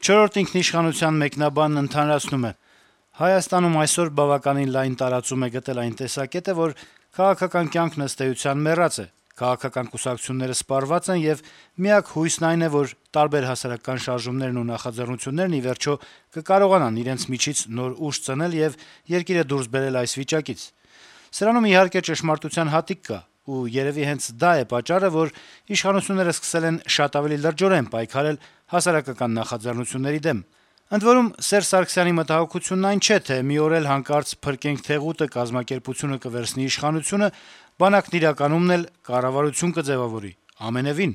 Չորրորդ ինքնիշխանության մեկնաբանն ընդհանրացնում է. - Հայաստանում այսօր բավականին լայն տարածում է գտել այն տեսակետը, որ քաղաքական կյանքն ըստ էության մեռած է, քաղաքական կուսակցությունները սպառված են, եւ միակ հույսն այն է, որ տարբեր հասարակական շարժումներն ու նախաձեռնություններն ի վերջո կկարողանան իրենց միջից նոր ուժ ծնել եւ երկիրը դուրս բերել այս վիճակից։ Սրանում իհարկե ճշմարտության հատիկ կա, ու երեւի հենց դա է պատճառը, որ իշխանությունները սկսել են շատ ավելի լրջորեն պայքարել հասարակական նախաձեռնությունների դեմ։ Ընդ որում, Սերժ Սարգսյանի մտահոգությունն այն չէ, թե մի օր էլ հանկարծ «Փրկենք Թեղուտը» կազմակերպությունը կվերցնի իշխանությունը, բանակն իրականում էլ կառավարություն կձեւավորի։ Ամենեւին։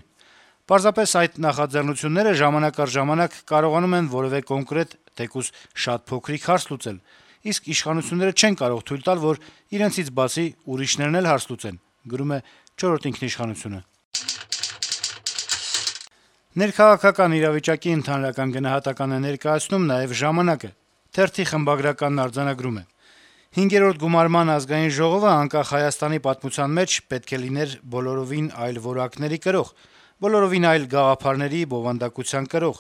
Պարզապես այդ նախաձեռնությունները ժամանակ առ ժամանակ կարողանում են որեւէ կոնկրետ, թեկուզ շատ փոքրիկ հարց լուծել, իսկ իշխանությունները չեն կարող թույլ տալ, որ իրենցից բացի ուրիշներն էլ հարց լուծեն։ Ներքաղաքական իրավիճակի ընդհանրական գնահատական է ներկայացնում նաեւ «Ժամանակ»-ը։ Թերթի խմբագրականն արձանագրում է. - 5-րդ գումարման ազգային ժողովը անկախ Հայաստանի պատմության մեջ պետք է լիներ բոլորովին այլ որակների կրող, բոլորովին այլ գաղափարների, բովանդակության կրող։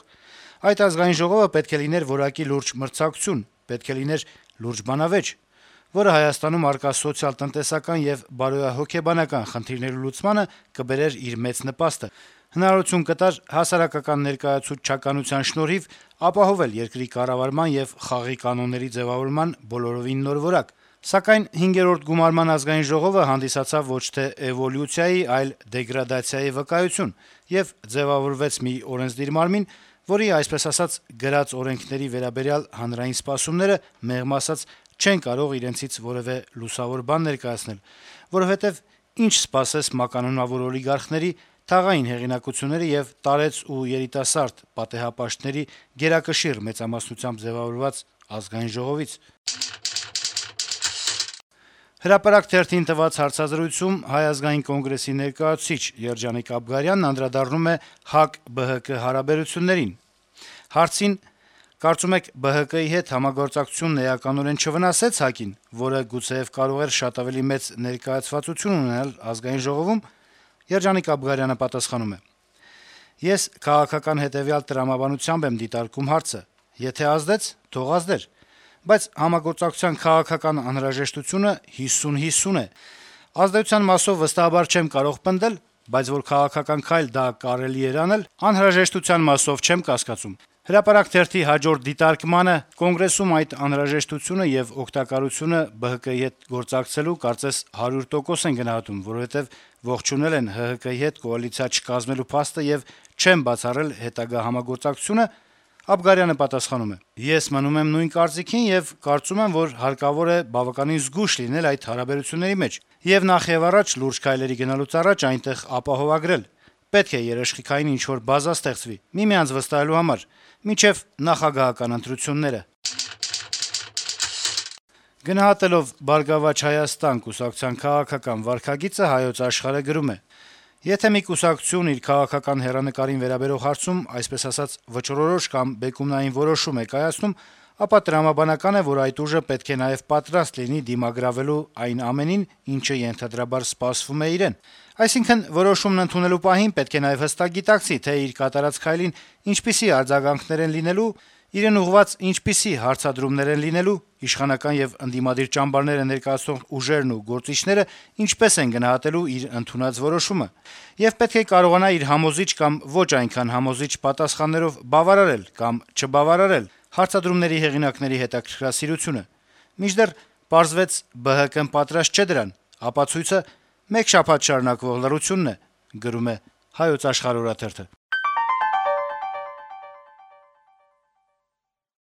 Այդ ազգային ժողովը պետք է լիներ որակի լուրջ մրցակցություն, պետք է լիներ լուրջ բանավեճ, որը Հայաստանում առկա սոցիալ-տնտեսական եւ բարոյահոգեբանական խնդիրների լուծմանը կբերեր իր մեծ նպաստը, հնարավորություն կտար հասարակական ներկայացուցչականության շնորհիվ ապահովել երկրի կառավարման եւ խաղի կանոնների ձեւավորման բոլորովին նոր որակ։ Սակայն 5-րդ գումարման ազգային ժողովը հանդիսացավ ոչ թե էվոլյուցիայի, այլ դեգրադացիայի վկայություն եւ ձեւավորվեց մի օրենսդիր մարմին, որի, այսպես ասած, գրած օրենքների վերաբերյալ հանրային սպասումները, մեղմ ասած, չեն կարող իրենցից որեւէ լուսավոր բան ներկայացնել, որովհետեւ ինչ սպասես մականունավոր օլիգարխների, թաղային հեղինակությունների եւ տարեց ու երիտասարդ պատեհապաշտների գերակշիռ մեծամասնությամբ ձեւավորված ազգային ժողովից։ «Հրապարակ» թերթին տված հարցազրույցում Հայ ազգային կոնգրեսի ներկայացուցիչ Երջանիկ Աբգարյանն անդրադառնում է ՀԱԿ-ԲՀԿ հարաբերություններին։ Հարցին, կարծում եք ԲՀԿ-ի հետ համագործակցությունն էականորեն չվնասեց ՀԱԿ-ին, որը գուցեեւ կարող էր շատ ավելի մեծ ներկայացվածություն ունենալ ազգային ժողովում, Երջանիկ Աբգարյանը պատասխանում է. - «Ես քաղաքական հետեւյալ տրամաբանությամբ եմ դիտարկում հարցը. եթե ազդեց, թող ազդեր, բայց համագործակցության քաղաքական անհրաժեշտությունը 50-50 է։ Ազդեցության մասով վստահաբար չեմ կարող պնդել, բայց որ քաղաքական քայլ դա կարելի էր անել, անհրաժեշտության մասով չեմ կասկածում»։ «Հրապարակ» թերթի հաջորդ դիտարկմանը Կոնգրեսում այդ անհրաժեշտությունը եւ օգտակարությունը ԲՀԿ-ի հետ գործակցելու կարծես 100% են գնահատում, որովհետեւ ողջունել են ՀՀԿ-ի հետ կոալիցիա չկազմելու փաստը եւ չեն բացառել հետագա համագործակցությունը, Աբգարյանը պատասխանում է. - «Ես մնում եմ նույն կարծիքին եւ կարծում եմ, որ հարկավոր է բավականին զգույշ լինել այդ հարաբերությունների մեջ եւ նախեւառաջ լուրջ քայլերի գնալուց առաջ այնտեղ ապահովագրել։ Պետք է երաշխիքային ինչ-որ բազա ստեղծվի, միմյանց վստահելու համար, մինչեւ նախագահական ընտրությունները»։ Գնահատելով «Բարգավաճ Հայաստան» կուսակցության քաղաքական վարքագիծը Հայոց Աշխարհը գրում է. - «Եթե մի կուսակցություն իր քաղաքական հեռանկարին վերաբերող հարցում, այսպես ասած, վճռորոշ կամ բեկումնային որոշում է կայացնում, ապա տրամաբանական է, որ այդ ուժը պետք է նաեւ պատրաստ լինի դիմագրավելու այն ամենին, ինչը ենթադրաբար սպասվում է իրեն։ Այսինքն, որոշումն ընդունելու պահին պետք է նաեւ հստակ գիտակցի, թե իր կատարած քայլին ինչպիսի արձագանքներ են լինելու, իրեն ուղղված ինչպիսի հարցադրումներ են լինելու, իշխանական եւ ընդդիմադիր ճամբարները ներկայացնող ուժերն ու գործիչները ինչպես են գնահատելու իր ընդունած որոշումը, եւ պետք է կարողանա իր համոզիչ կամ ոչ այնքան համոզիչ պատասխաններով բավարարել կամ չբավարարել հարցադրումների հեղինակների հետաքրքրասիրությունը։ Մինչդեռ պարզվեց ԲՀԿ-ն պատրաստ չէ դրան, ապացույցը մեկ շաբաթ շարունակվող լռությունն է»։